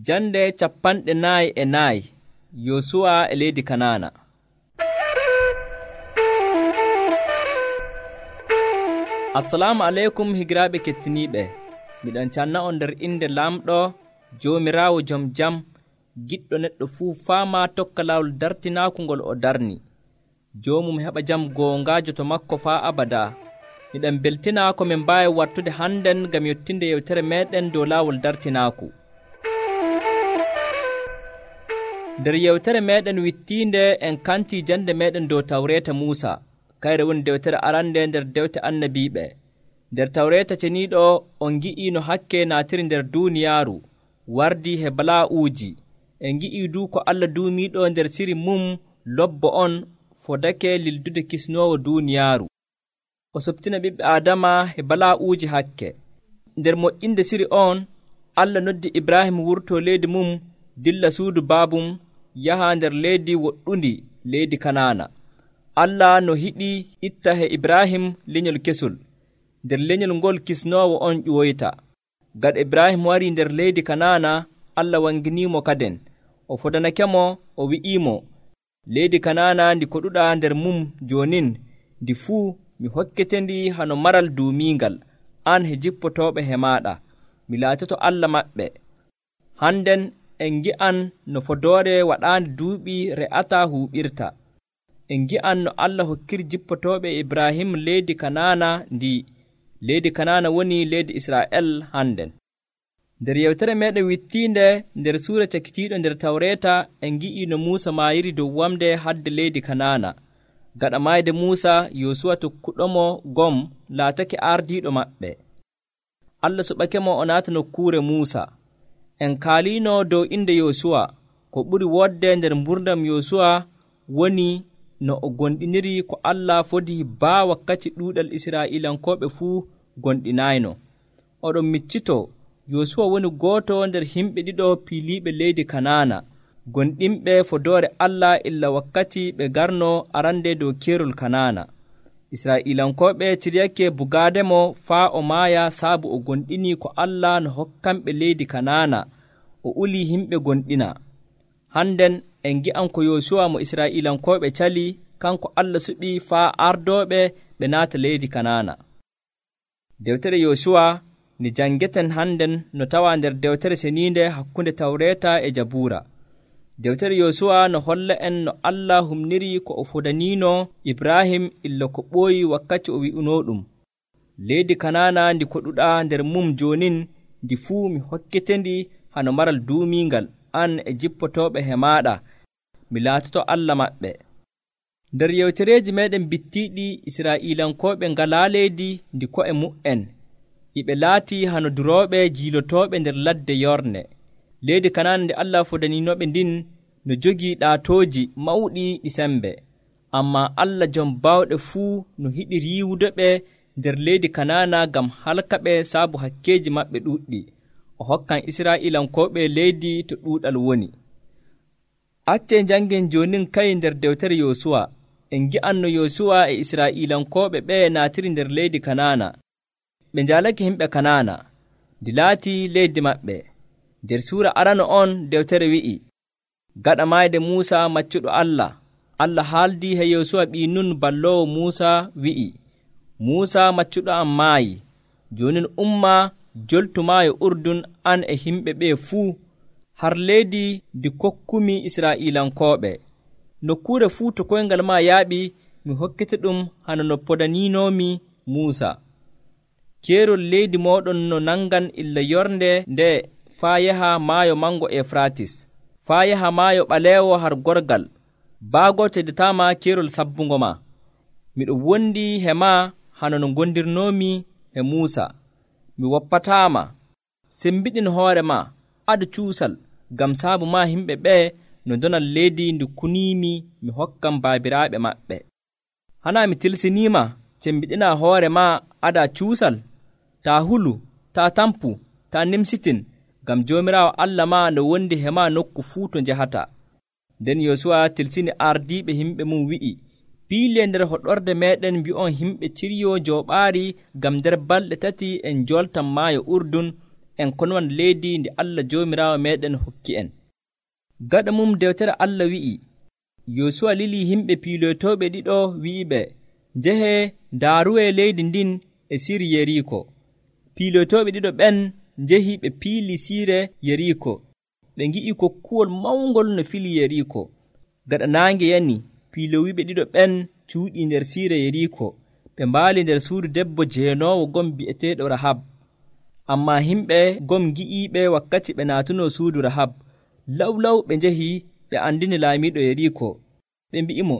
Jande 44 Yosuwa e leydi Kanaana. Assalamu aleykum higiraaɓe kettiniiɓe. Miɗon canna on nder inde Lamɗo Joomiraawo jom jam, giɗɗo neɗɗo fuu faama tokka laawol dartinaaku ngol o darni. Joomum heɓa jam goongaajo to makko faa abada. Miɗen beltina ko min mbaawi wattude hannden ngam yottinde yewtere meeɗen dow laawol dartinaaku. Nder yewtere meeɗen wittiinde en kantii jande meeɗen dow Tawreeta Muusa, kayre woni dewtere arande nder dewte annabiiɓe. Nder Tawreeta ceniiɗo on ngi'ii no hakke naatiri nder duuniyaaru, wardii he balaa'uuji. En ngi'ii duu ko Allah duumiiɗo nder siri mum lobbo on fodake lildude kisnoowo duuniyaaru. O soptina ɓiɓɓe Aadama he balaa'uuji hakke. Nder moƴƴinde siri on, Allah noddi Ibrahim wurtoo leydi mum dilla suudu baabum yaha nder leydi woɗɗundi, leydi Kanaana. Allah no hiɗi itta he Ibrahim lenyol kesol. Nder lenyol ngol kisnoowo on ƴuwoyta. Gaɗa Ibrahim warii nder leydi Kanaana, Allah wanginiimo kaden. O fodanakemo, o wi'iimo, leydi Kanaana ndi koɗuɗaa nder mum joonin, ndi fuu mi hokketendi hano maral duumiingal, an he jippotooɓe he maaɗa. Mi laatoto Allah maɓɓe. Hannden en ngi'an no fodoore waɗaande duuɓi re'ataa huuɓirta. En ngi'an no Allah hokkiri jippotooɓe Ibrahim leydi Kanaana ndi. Leydi Kanaana woni leydi Israa'el hannden. Nder yewtere meeɗen wittiinde nder suura cakitiiɗo nder Tawreeta en ngi'ii no Muusa maayiri dow wamde hadde leydi Kanaana. Gaɗa maayde Muusa, Yosuwa tokkuɗomo gom laatake ardiiɗo maɓɓe. Allah suɓakemo o naata nokkuure Muusa. En kaaliino dow inde Yosuwa. Ko ɓuri wodde nder mburdam Yosuwa woni no o gonɗiniri ko Allah fodi baa wakkati ɗuuɗal Israa'iilankooɓe fuu gonɗinaayno. Oɗon miccito Yosuwa woni gooto nder himɓe ɗiɗo piiliiɓe leydi Kanaana, gonɗinɓe fodoore Allah illa wakkati ɓe garno arande dow keerol Kanaana. Israa'iilankooɓe ciryake bugaademo faa o maaya saabu o gonɗini ko Allah no hokkanɓe leydi Kanaana, o uli himɓe gonɗina. Hannden en ngi'an ko Yosuwa mo Israa'iilankooɓe cali, kanko Allah suɓi faa ardooɓe ɓe naata leydi Kanaana. Dewtere Yosuwa ni janngeten hannden no tawaa nder dewtere seniinde hakkunde Tawreeta e Jabuura. Dewtere Yosuwa no holla en no Allah humniri ko o fodaniino Ibrahim illa ko ɓooyi wakkati o wi'unoo ɗum. Leydi Kanaana ndi koɗuɗaa nder mum joonin, ndi fuu mi hokketendi hano maral duumiingal, an e jippotooɓe he maaɗa. Mi laatoto Allah maɓɓe. Nder yewtereeji meeɗen bittiiɗi Israa'iilankooɓe ngalaa leydi ndi ko'e mu'en. Iɓe laatii hano durooɓe jiilotooɓe nder ladde yorne. Leydi Kanaana nde Allah fodaniinoɓe ndin no jogii ɗaatooji mawɗi ɗi sembe. Ammaa Allah jom baawɗe fuu no hiɗi riiwudeɓe nder leydi Kanaana ngam halkaɓe saabu hakkeeji maɓɓe ɗuuɗɗi. O hokkan Israa'iilankooɓe leydi to ɗuuɗal woni. Accee njanngen joonin kay nder dewtere Yosuwa. En ngi'an no Yosuwa e Israa'iilankooɓe ɓe naatiri nder leydi Kanaana. Ɓe njaalake himɓe Kanaana, ndi laatii leydi maɓɓe. Nder suura arano on dewtere wi'i, gaɗa maayde Muusa maccuɗo Allah, Allah haaldii he Yosuwa ɓii Nun balloowo Muusa wi'i, Muusa maccuɗo am maayi, joonin umma joltu maayo Urdun an e himɓe ɓee fuu, har leydi ndi kokkumi Israa'iilankooɓe. Nokkuure fuu to koyngal maa yaaɓi, mi hokkete ɗum hano no podaniinoomi Muusa. Keerol leydi mooɗon no nangan illa yornde nde faa yaha maayo mango Efratis, faa yaha maayo ɓaleewo har gorgal, baago teddataama keerol sabbungo ma. Miɗo wondi he maa hano no gondirnoomi e Muusa. Mi woppataama, sembiɗin hoore maa, adu cuusal, ngam saabu maa himɓe ɓee no donal leydi ndi kuniimi mi hokkam baabiraaɓe maɓɓe. Hanaa mi tilsiniima, sembiɗinaa hoore maa adaa cuusal, taa hulu, taa tampu, taa nimsitin, ngam Joomiraawo Allah maa no wondi he maa nokku fuu to njahata. Nden Yosuwa tilsini ardiiɓe himɓe mum wi'i, piilee nder hoɗorde meeɗen mbi'on himɓe ciryoo jooɓaari ngam nder balɗe 3 en njoltan maayo Urdun en konowan leydi ndi Allah Joomiraawo meeɗen hokki en. Gaɗa mum dewtere Allah wi'i, Yosuwa lilii himɓe piilotooɓe ɗiɗo wi'iɓe, njehee ndaaruwee leydi ndin e siri Yeriko. Piilotooɓe ɗiɗo ɓen njehii ɓe piili siire Yeriko. Ɓe ngi'i kokkuwol mawngol no fili Yeriko. Gaɗa naange yani, piilowiiɓe ɗiɗo ɓen cuuɗii nder siire Yeriko. Ɓe mbaali nder suudu debbo jeenoowo gom bi'eteeɗo Rahab. Ammaa himɓe gom ngi'iiɓe wakkati ɓe naatunoo suudu Rahab. Lawlaw ɓe njehii ɓe andini laamiiɗo Yeriko. Ɓe mbi'imo,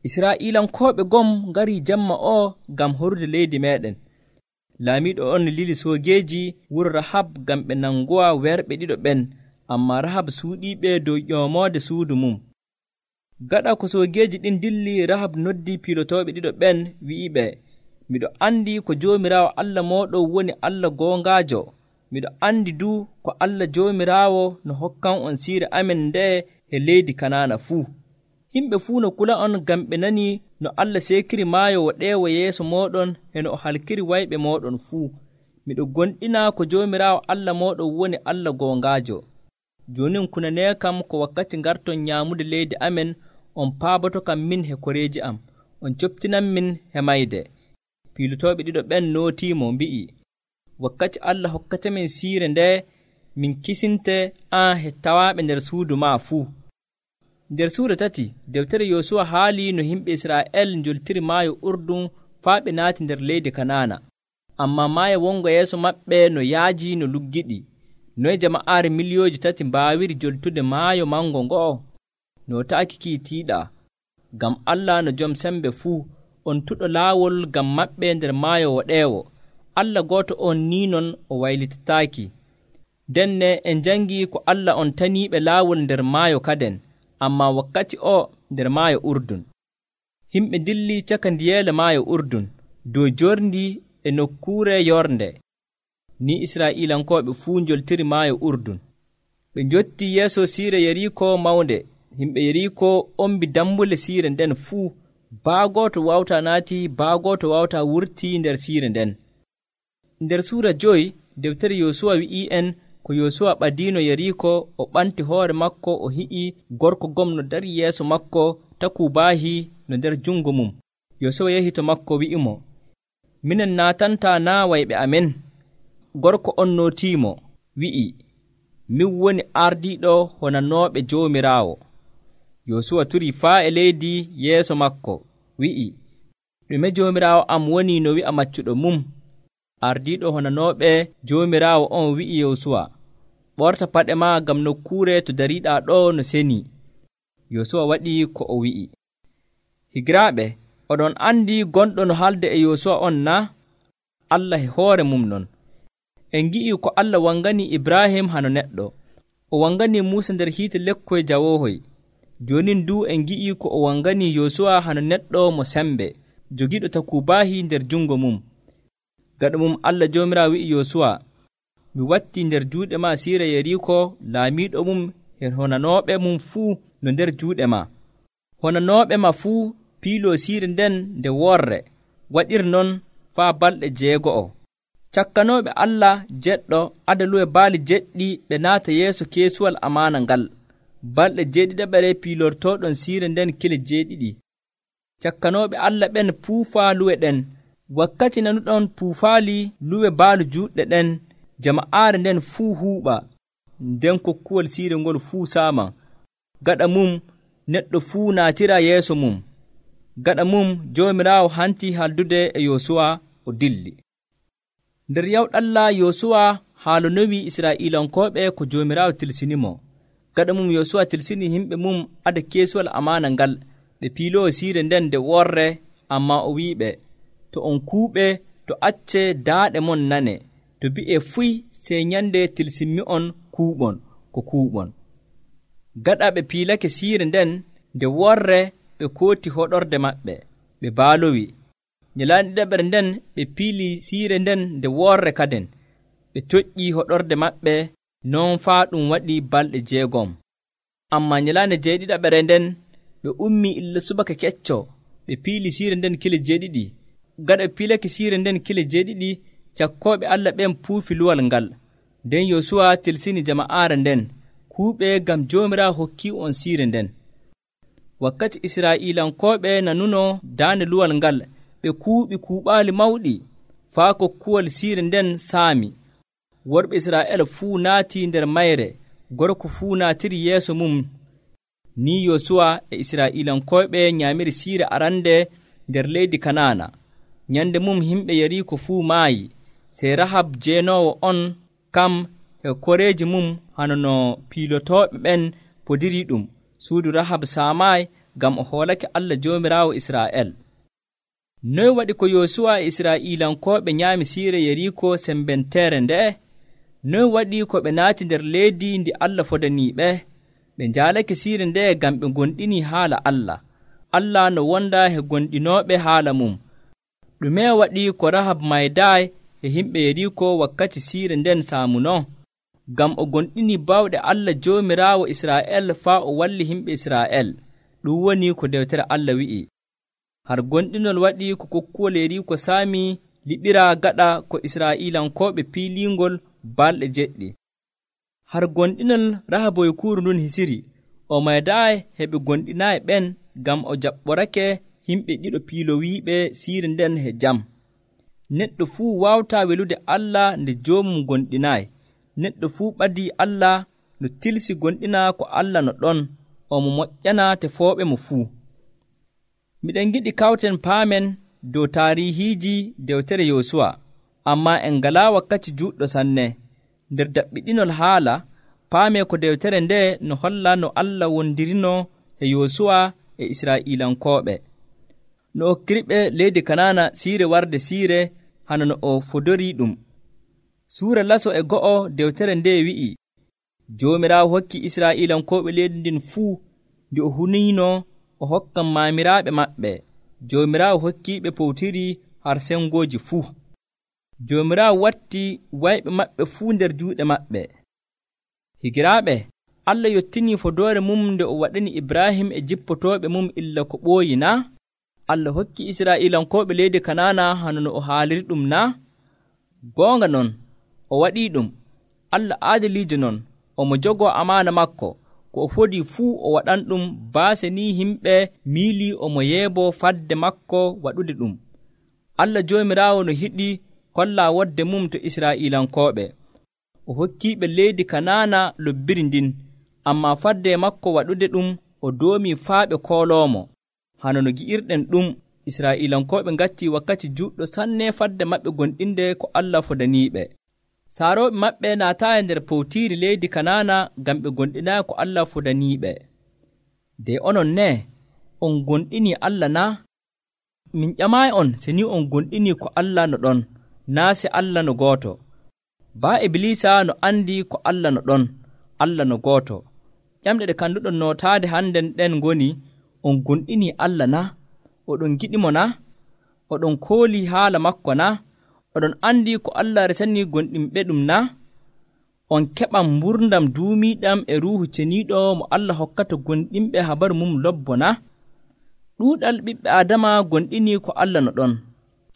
Israa'iilankooɓe gom ngarii jamma o ngam horde leydi meeɗen. Laamiiɗo on lili soogeeji wuro Rahab ngam ɓe nangowa werɓe ɗiɗo ɓen, ammaa Rahab suuɗiiɓe dow ƴoomoode suudu mum. Gaɗa ko soogeeji ɗin dilli, Rahab noddii piilotooɓe ɗiɗo ɓen wi'iɓe, miɗo anndi ko Joomiraawo Allah mooɗon woni Allah goongaajo. Miɗo anndi duu ko Allah Joomiraawo no hokkan on siire amen nde'e e leydi Kanaana fuu. Himɓe fuu no kula on ngam ɓe nanii no Allah seekiri maayo woɗeewo yeeso mooɗon e no o halkiri wayɓe mooɗon fuu. Miɗo gonɗinaa ko Joomiraawo Allah mooɗon woni Allah goongaajo. Joonin kunanee kam ko wakkati ngarton nyaamude leydi amen, on paaboto kam min he koreeji am, on coptinan min he mayde. Piilotooɓe ɗiɗo ɓen nootiimo mbi'i, wakkati Allah hokkatemin siire nde, min kisinte an he tawaaɓe nder suudu maa fuu. Nder suura 3 dewtere Yosuwa haali no yimɓe Israa'el njoltiri maayo Urdun faa ɓe naati nder leydi Kanaana. Ammaa maayo wongo yeeso maɓɓe no yaaji no luggiɗi. Noye jama'aare miliyooji 3 mbaawiri joltude maayo mango ngo'o? No ta'aki kiitiiɗaa, ngam Allah no jom sembe fuu, on tuɗo laawol ngam maɓɓe nder maayo woɗeewo. Allah gooto on ni non o waylitataaki. Denne en jangi ko Allah on taniiɓe laawol nder maayo kaden, ammaa wakkati o nder maayo Urdun. Himɓe dilli caka ndiyeele maayo Urdun, dow jorndi e nokkuure yornde. Ni Israa'iilankooɓe fuu njoltiri maayo Urdun. Ɓe njottii yeeso siire Yeriko mawnde. Himɓe Yeriko ombi dambule siire nden fuu. Baagooto wawta naati, baagooto wawta wurtii nder siire nden. Nder suura 5 dewtere Yosuwa wi'ii en ko Yosuwa ɓadiino Yeriko, o ɓanti hoore makko, o hi'i gorko gom no dari yeeso makko, takubaahi no nder jungo mum. Yosuwa yehi to makko wi'imo, minen naatantaa naa wayɓe amen? Gorko on nootiimo wi'i, min woni ardiiɗo honanooɓe Joomiraawo. Yosuwa turi faa e leydi yeeso makko wi'i, ɗume Joomiraawo am woni no wi'a maccuɗo mum? Ardiiɗo honanooɓe Joomiraawo on wi'i Yosuwa, ɓorta paɗe maa ngam nokkuure to dariiɗaa ɗo no senii. Yosuwa waɗi ko o wi'i. Higiraaɓe, oɗon anndi gonɗo no haalde e Yosuwa on na? Allah e hoore mum non. En ngi'i ko Allah wangani Ibrahim hano neɗɗo. O wangani Muusa nder hiite lekkoy jawoohoy. Jonin du en ngi'i ko o wangani Yosuwa hano neɗɗo mo sembe, jogiiɗo takubaahi nder jungo mum. Gaɗa mum Allah Joomiraawo wi'i Yosuwa, mi watti nder juuɗe maa siire Yeriko, laamiiɗo mum e honanooɓe mum fuu no nder juuɗe maa. Honanooɓe maa fuu piiloo siire nden nde worre, waɗir non faa balɗe 6. Cakkanooɓe Allah jeɗɗo adaluwe baali jeɗɗi ɓe naata yeeso keesuwal amaana ngal. Balɗe 7 piilortooɗon siire nden kile 7. Cakkanooɓe Allah ɓen puufaa luwe ɗen. Wakkati nanuɗon puufaali luwe baalu juuɗɗe ɗen, jama'aare nden fuu huuɓa, nden kokkuwol siire ngol fuu saama. Gaɗa mum neɗɗo fuu naatira yeeso mum. Gaɗa mum Joomiraawo hanti haldude e Yosuwa o dilli. Nder yawɗalla Yosuwa haalonowi Israa'iilankooɓe ko Joomiraawo tilsinimo. Gaɗa mum Yosuwa tilsini himɓe mum ada keesuwal amaana ngal, ɓe piiloo siire nden nde worre, ammaa o wi'iɓe, to on kuuɓe, to acce daaɗe mon nane, to bi'e fuy sey nyande tilsimmi on kuuɓon ko kuuɓon. Gaɗa ɓe piilake siire nden nde worre, ɓe kooti hoɗorde maɓɓe, ɓe baalowi. Nyalaande ɗiɗaɓere nden ɓe piili siire nden nde worre kaden, ɓe toƴƴii hoɗorde maɓɓe, non faa ɗum waɗi balɗe 6. Ammaa nyalaande 7 nden ɓe ummii illa subaka kecco, ɓe piili siire nden kile 7. Gaɗa ɓe piilake siire nden kile 7, cakkooɓe Allah ɓen puufi luwal ngal. nden Yosuwa tilsini jama'aare nden kuuɓe ngam Joomiraawo hokki on siire nden. Wakkati Israa'iilankooɓe nanuno daande luwal ngal, ɓe kuuɓi kuuɓaali mawɗi faa kokkuwal siire nden saami. Worɓe Israa'eela fuu naatii nder mayre, gorko fuu naatiri yeeso mum. Ni Yosuwa e Israa'iilankooɓe nyaamiri siire arande nder leydi Kanaana. Nyande mum himɓe Yeriko fuu maayi, sey Rahab jeenoowo on kam e koreeji mum hano no piilotooɓe ɓen podiri ɗum. Suudu Rahab saamaayi ngam o hoolake Allah Joomiraawo Israa'el. Noy waɗi ko Yosuwa e Israa'iilankooɓe nyaami siire Yeriko sembenteere nde'e? Noy waɗi ko ɓe naati nder leydi ndi Allah fodaniiɓe? Ɓe njaalake siire nde ngam ɓe gonɗinii haala Allah. Allah no wonda he gonɗinooɓe haala mum. Ɗume waɗi ko Rahab maydaayi e himɓe Yeriko wakkati siire nden saamuno? Ngam o gonɗinii bawɗe Allah Joomiraawo Israa'el faa o walli himɓe Israa'el. Ɗum woni ko dewtere Allah wi'i. Har gonɗinol waɗi ko kokkuwol Yeriko saami liɓira gaɗa ko Israa'iilankooɓe piiliingol balɗe 7. Har gonɗinol Rahaboykuuru ndun hisiri, o maydaayi heɓe gonɗinaayi ɓen ngam o jaɓɓorake himɓe ɗiɗo piilowiiɓe siire nden he jam. Neɗɗo fuu waawtaa welude Allah nde joomum gonɗinaayi. Neɗɗo fuu ɓadii Allah no tilsi gonɗina ko Allah no ɗon, omo moƴƴana tefooɓe mo fuu. Miɗen giɗi kawten paamen dow taarihiiji dewtere Yosuwa, ammaa en ngalaa wakkati juuɗɗo sanne. Nder daɓɓiɗinol haala, paamee ko dewtere nde no holla no Allah wondirino e Yosuwa e Israa'iilankooɓe. No o hokkiriɓe leydi Kanaana siire warde siire hano no o fodorii ɗum. Suura laso e 1 dewtere nde wi'i, Joomiraawo hokki Israa'iilankooɓe leydi ndin fuu ndi o huniino o hokkan maamiraaɓe maɓɓe. Joomiraawo hokkiiɓe powtiri har sengooji fuu. Joomiraawo watti wayɓe maɓɓe fuu nder juuɗe maɓɓe. Higiraaɓe, Allah yottinii fodoore mum nde o waɗani Ibrahim e jippotooɓe mum illa ko ɓooyi naa? Allah hokki Israa'iilankooɓe leydi Kanaana hano no o haaliri ɗum naa? Goonga non, o waɗii ɗum. Allah aadiliijo non, omo jogoo amaana makko. Ko o fodii fuu o waɗan ɗum baase ni himɓe miilii omo yeeboo fadde makko waɗude ɗum. Allah Joomiraawo no hiɗi hollaa wodde mum to Israa'iilankooɓe. O hokkiiɓe leydi Kanaana lobbiri ndin, ammaa fadde makko waɗude ɗum o doomii faa ɓe kooloomo. Hano no gi'irɗen ɗum, Israa'iilankooɓe ngattii wakkati juuɗɗo sanne fadde maɓɓe gonɗinde ko Allah fodaniiɓe. Saarooɓe maɓɓe naataayi nder powtiiri leydi Kanaana ngam ɓe gonɗinaayi ko Allah fodaniiɓe. De onon ne, on gonɗinii Allah naa? Min ƴamaayi on se ni on gonɗinii ko Allah no ɗon, naa se Allah no gooto. Baa Ibliisa no andi ko Allah no ɗon, Allah no gooto. Ƴamɗe ɗe kanduɗon nootaade hannden ɗen ngoni, on gonɗinii Allah naa? Oɗon giɗimo naa? Oɗon koolii haala makko naa? Oɗon andi ko Allah resanii gonɗinɓe ɗum naa? On keɓan mburdam duumiiɗam e ruuhu ceniiɗo mo Allah hokkata gonɗinɓe habaru mum lobbo naa? Ɗuuɗal ɓiɓɓe Aadama gonɗinii ko Allah no ɗon,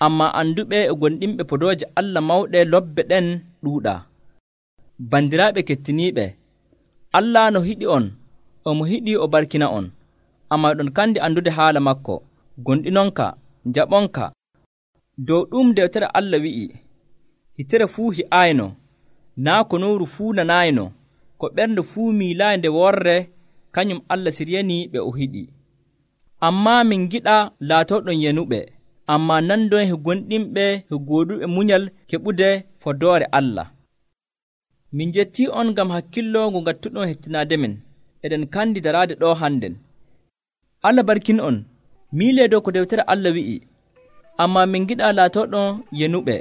ammaa anduɓe e gonɗinɓe podooje Allah mawɗe lobbe ɗen ɗuuɗaa. Bandiraaɓe kettiniiɓe, Allah no hiɗi on, omo hiɗi o barkina on, ammaa ɗon kandi andude haala makko, gonɗinonka, jaɓonka. Dow ɗum dewtere Allah wi'i, hitere fuu hi'ayno, naa ko nowru fuu nanayno, ko ɓernde fuu miilaayi nde worre, kañum Allah siryanii ɓe o hiɗi. Ammaa min giɗa laatoɗon yenuɓe, ammaa nandon he gonɗinɓe he gooduɓe munyal keɓude fodoore Allah. Min jettii on ngam hakkillo ngo ngattuɗon hettinaade men, eɗen kandi daraade ɗo hannden. Allah barkin on, miilee dow ko dewtere Allah wi'i, ammaa min giɗa laatoɗon yenuɓe,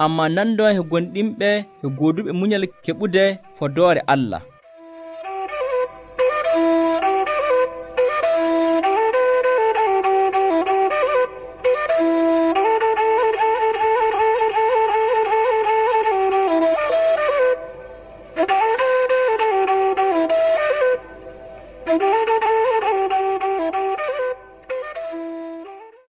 ammaa nandon he gonɗinɓe he gooduɓe munyal keɓude fodoore Allah.